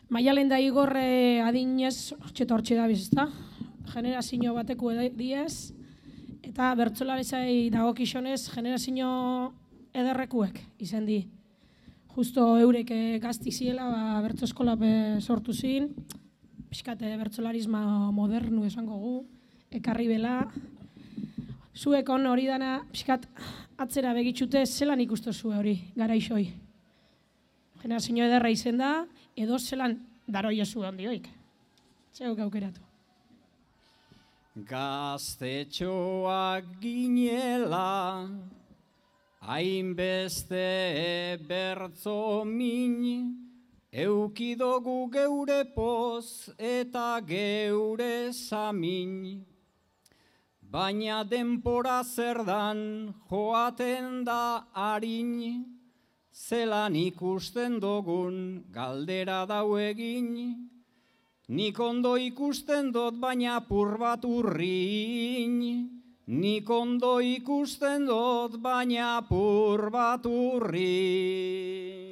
Maialen da Igor adinez, hortxe dabiz, ezta? Generazio bateko diez, eta bertsolaritzai dagokionez generazio ederrekuek izen di. Justo eurek gazti ziela, bertso eskola sortu zin, pixkat bertsolarisma modernu esango gu, ekarri bela. Zuekon hori dana, pixkat atzera begitxute, zelan ikustu zue hori, garaixoi. Generazio ederra izen da, edo zelan daro jesu ondioik. Zeuk aukeratu. Gaztetxoak ginela, hainbeste bertzo min, eukidogu geure poz eta geure samin. Baina denpora zerdan joaten da harin, zelan ikusten dugun galdera dau egin, nik ondo ikusten dut baina apur bat urrin, nik ondo ikusten dut baina apur bat urrin.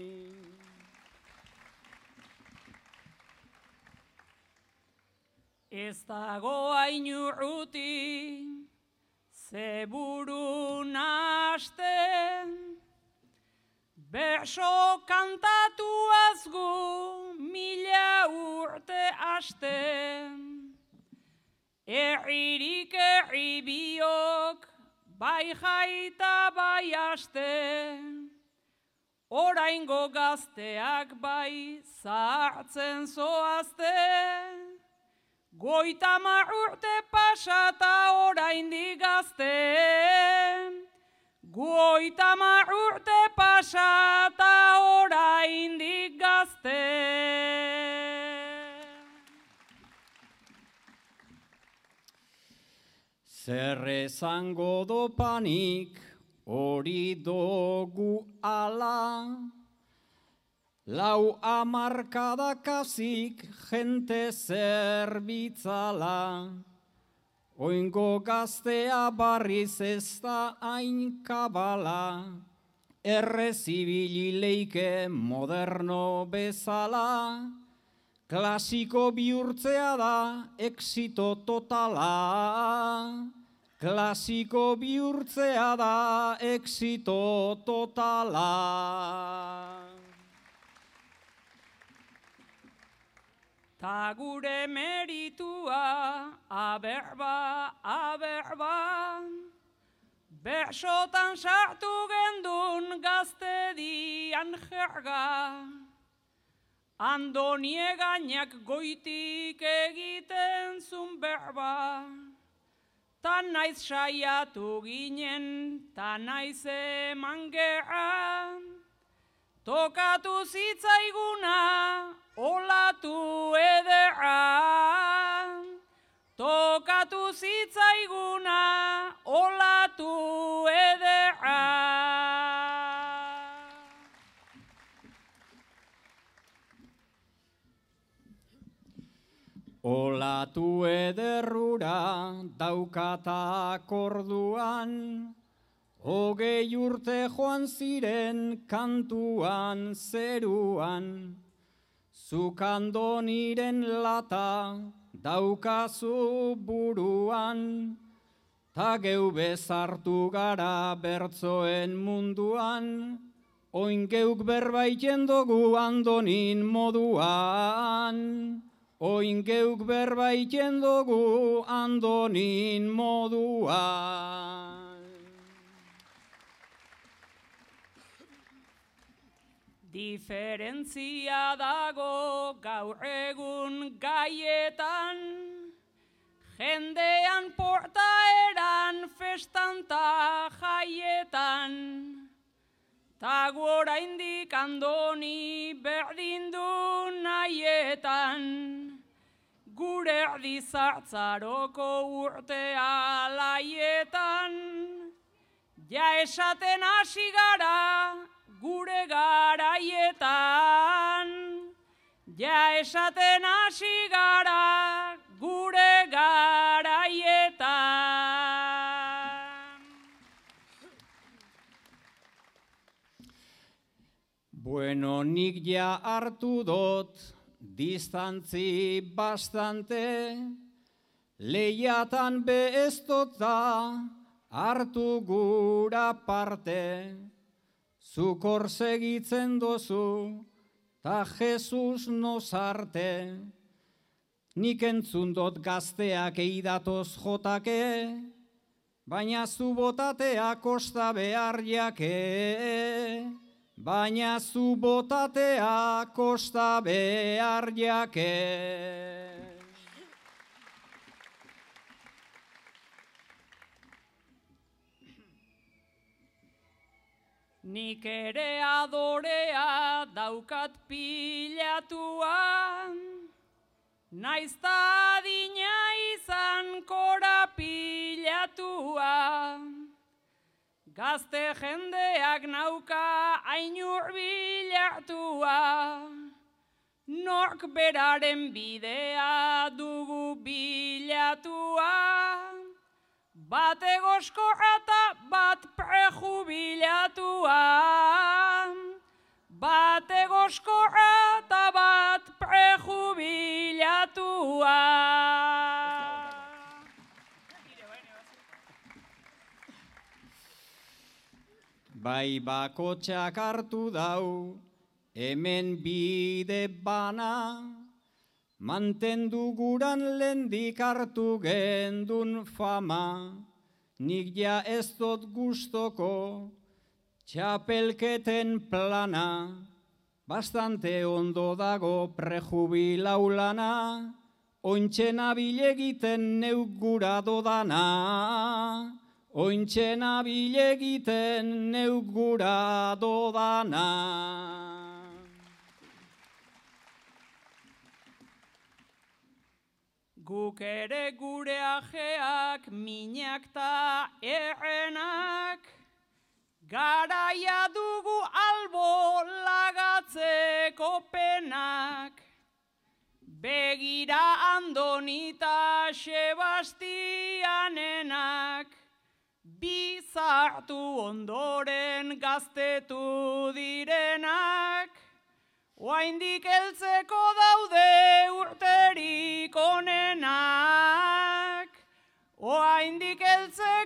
Ez dago hain urruti, zeburu nahasten, berso kantatuaz gu mila urte hasten. Erririk erri biok, bai jaita bai haste, oraingo gazteak bai zahartzen zoazte. 50 urte pasata oraindik gazte, 50 urte pasata oraindik gazte. Zer esango dopanik hori dogu ala, lau hamarkadakazik jente zerbitzala, oingo gaztea barriz ez da hain kabala, errezibili leike moderno bezala, klasiko bihurtzea da exito totala, klasiko bihurtzea da exito totala. Ta gure meritua, aberba, aberba, bersotan sartu gendun gaztedian jerga, Andoni egainak goitik egiten zun berba, ta naiz saiatu ginen, ta naiz eman gerra, tokatu zitzaiguna, olatu ederra, tokatu zitzaiguna, olatu ederra. Olatu ederrura daukatak orduan, 20 urte joan ziren kantuan zeruan, zuk Andoniren lata daukazu buruan, ta geu bezartu gara bertzoen munduan, oin geuk berbaiten dugu Andonin moduan, oin geuk berbaiten dugu Andonin moduan. Diferentzia dago gaur egun gaietan, jendean portaeran festan ta jaietan, ta gu oraindik Andoni berdin du nahietan, gure erdi zartzaroko urte alaietan, ja esaten hasi gara gure garaietan, ja esaten hasi gara gure garaietan. Bueno, nik ja hartu dut distantzi bastante, lehiatan beheztota hartu gura parte, zukor segitzen dozu, ta Jesus nozarte, nik entzun dot gazteak eidatoz jotake, baina zu botatea kosta behar jake, baina zu botatea kosta behar jake. Nik ere adorea daukat pilatua, naizta adina izan korapilatua. Gazte jendeak nauka ainur bilatua, nork beraren bidea dugu bilatua. Bat egoskorra eta bat prejubilatua, bat egoskorra eta bat prejubilatua. Bai bakotxak hartu dau, hemen bide bana, mantendu guran lendik hartu gendun fama, nik ja ez dut gustoko txapelketen plana, bastante ondo dago prejubilau lana, ointxe nabil egiten neuk gura dodana, ointxe nabil egiten neuk gura dodana. Guk ere gure ajeak, minak ta errenak, garaia dugu albo lagatzeko penak. Begira Andonita Sebastianenak, bizartu ondoren gaztetu direnak, oraindik heltzeko daude urterik onenak, oraindik heltzeko